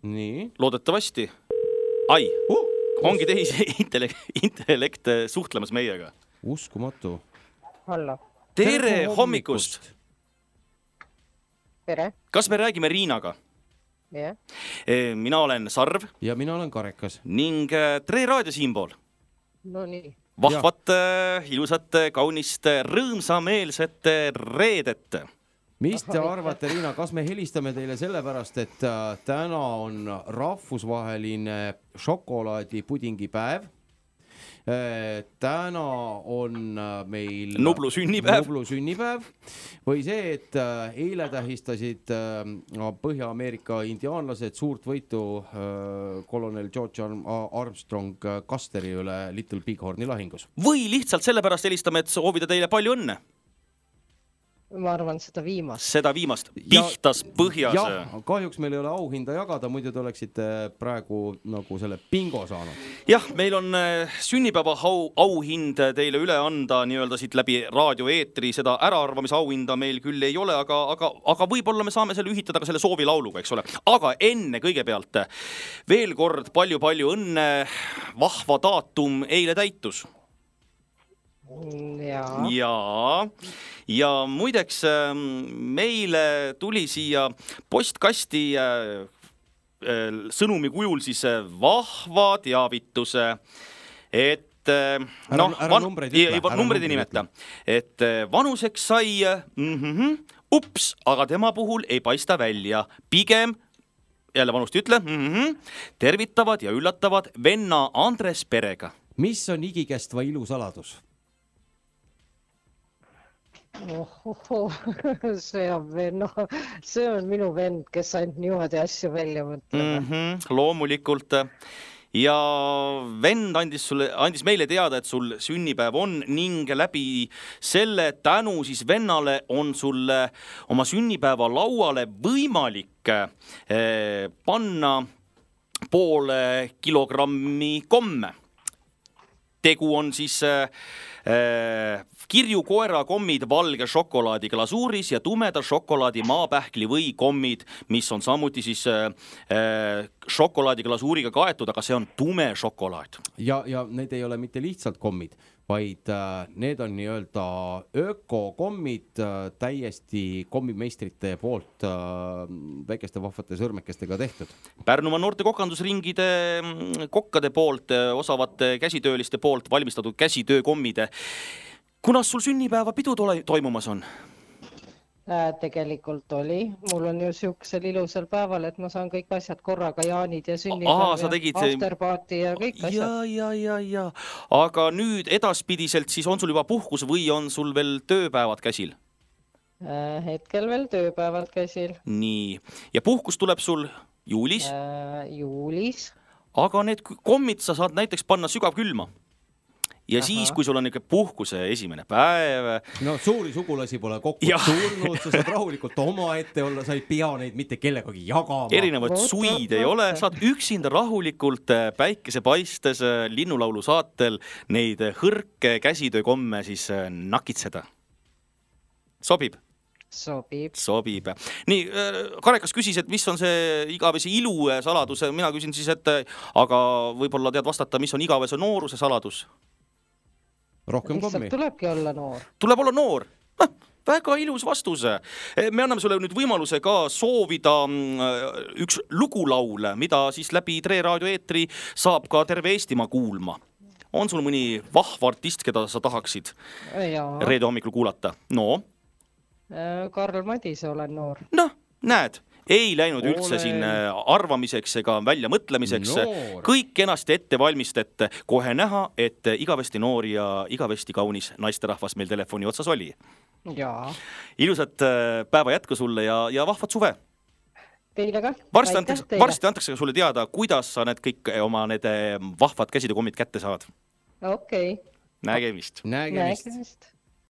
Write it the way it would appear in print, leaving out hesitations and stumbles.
Nii. Loodetavasti. Ai, ongi teisi intellekt suhtlemas meiega. Uskumatu. Hallo. Tere hommikust. Tere. Kas me räägime Riinaga? Yeah. Mina olen Sarv. Ja mina olen Karekas. Ning Tre Raadio siinpool. No nii. Vahvat, ilusat, kaunist, rõõmsameelset reedet. Mis te arvate, Riina, kas me helistame teile sellepärast, et täna on rahvusvaheline šokolaadipudingi päev. Täna on meil Nublu sünnipäev. Või see, et eile tähistasid Põhja-Ameerika indiaanlased suurt võitu kolonel George Armstrong Custeri üle Little Bighorni lahingus. Või lihtsalt sellepärast helistame, et soovida teile palju õnne. Ma arvan seda viimast. Seda viimast. Pihtas põhjas. Jah, kahjuks meil ei ole auhinda jagada, muidu te oleksite praegu nagu selle bingo saanud. Jah, meil on sünnipäeva auhind teile üle anda nii-öelda siit läbi raadioeetri. Seda äraarvamise auhinda meil küll ei ole, aga võib-olla me saame selle ühitada ka selle soovilauluga, eks ole. Aga enne kõigepealt veel kord palju-palju õnne. Vahva daatum eile täitus. Ja muideks meile tuli siia postkasti sõnumi kujul siis vahva teavituse, et numbreid ei nimeta, et vanuseks sai ups, aga tema puhul ei paista välja, pigem jälle vanust ütle, tervitavad ja üllatavad venna Andres perega. Mis on igikestva ilu saladus? See on minu vend, kes ainult niimoodi asju välja mõtleb. Loomulikult. Ja vend andis meile teada, et sul sünnipäev on ning läbi selle tänu siis vennale on sul oma sünnipäeva lauale võimalik panna poole kilogrammi komme. Tegu on siis kirjukoera kommid valge šokolaadi glasuuris ja tumeda šokolaadi maapähkli või kommid, mis on samuti siis šokolaadi glasuuriga kaetud, aga see on tume šokolaad. Ja need ei ole mitte lihtsalt kommid, vaid need on nii-öelda ökokommid täiesti kommimeistrite poolt väikeste vahvate sõrmekestega tehtud. Pärnumaa noorte kokandusringide kokkade poolt, osavate käsitööliste poolt valmistatud käsitöökommide. Kunas sul sünnipäeva pidu toimumas on? Tegelikult oli. Mul on ju siuksel ilusal päeval, et ma saan kõik asjad korraga, jaanid ja sünnipäev ja afterparty ja kõik asjad. Ja. Aga nüüd edaspidiselt siis on sul juba puhkus või on sul veel tööpäevad käsil? Hetkel veel tööpäevad käsil. Nii. Ja puhkus tuleb sul juulis? Juulis. Aga need kommid sa saad näiteks panna sügavkülma. Ja siis, kui sul on puhkuse esimene päev... No suuri sugulasi pole kokku tulnud, sa saad rahulikult oma ette olla, sa ei pea neid mitte kellegagi jagama. Erinevad suid ei ole, saad üksinda rahulikult päikese paistes linnulaulu saatel neid hõrke käsitöökomme siis nakitseda. Sobib? Sobib. Nii, Karekas küsis, et mis on see igavese ilu saladus. Mina küsin siis, et aga võib-olla tead vastata, mis on igavese nooruse saladus? Rohkem kommi. Tulebki olla noor. Tuleb olla noor. Väga ilus vastus. Me anname sulle nüüd võimaluse ka soovida üks lugulaul, mida siis läbi Tre Raadio eetri saab ka terve Eestimaa kuulma. On sul mõni vahva artist, keda sa tahaksid reede hommikul kuulata? No? Karl Madise olen noor. Näed. Ei läinud üldse siin arvamiseks ega välja mõtlemiseks. Kõik kenasti ette valmistet. Kohe näha, et igavesti noor ja igavesti kaunis naisterahvas meil telefoni otsas oli. Jaa. Ilusat päeva jätku sulle ja vahvat suve. Teile ka. Varsti antakse sulle teada, kuidas sa need kõik oma need vahvad käsitöökommid kätte saad. Okei. Nägemist. Nägemist.